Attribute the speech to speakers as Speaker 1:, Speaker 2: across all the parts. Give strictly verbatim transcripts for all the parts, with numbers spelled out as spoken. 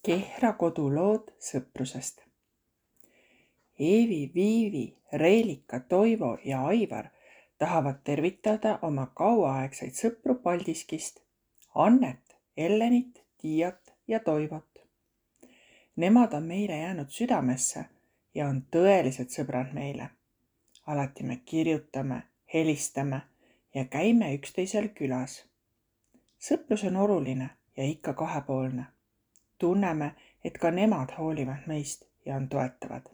Speaker 1: Kehra kodulood sõprusest. Eevi, Viivi, Reelika, Toivo ja Aivar tahavad tervitada oma kauaaegseid sõpru Paldiskist, Annet, Ellenit, Tiiat ja Toivot. Nemad on meile jäänud südamesse ja on tõelised sõbrad meile. Alati me kirjutame, helistame ja käime üksteisel külas. Sõprus on oluline ja ikka kahepoolne. Tunneme, et ka nemad hoolivad meist ja on toetavad.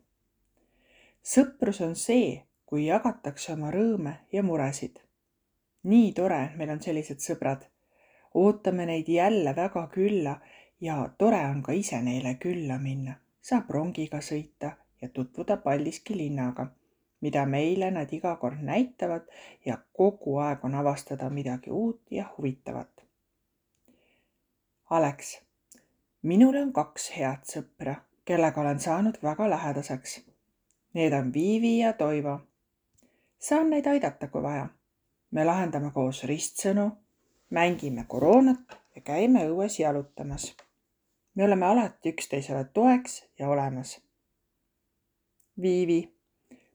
Speaker 1: Sõprus on see, kui jagatakse oma rõõme ja muresid. Nii tore, et meil on sellised sõbrad. Ootame neid jälle väga külla ja tore on ka ise neile külla minna. Saab rongiga sõita ja tutvuda Paldiski linnaga, mida meile nad iga kord näitavad ja kogu aeg on avastada midagi uut ja huvitavat. Alex, minul on kaks head sõpra, kellega olen saanud väga lähedaseks. Need on Viivi ja Toivo. Saan neid aidata, kui vaja. Me lahendame koos ristsõnu, mängime koroonat ja käime õues jalutamas. Me oleme alati üksteisele toeks ja olemas. Viivi,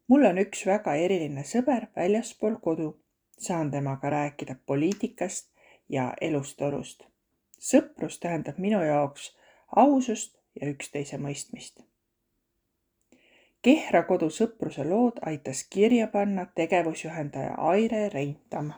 Speaker 1: mul on üks väga eriline sõber väljaspool kodu. Saan temaga rääkida poliitikast ja elustolust. Sõprus tähendab minu jaoks ausust ja üksteise mõistmist. Kehra kodu sõpruse lood aitas kirja panna tegevusjuhendaja Aire Reintam.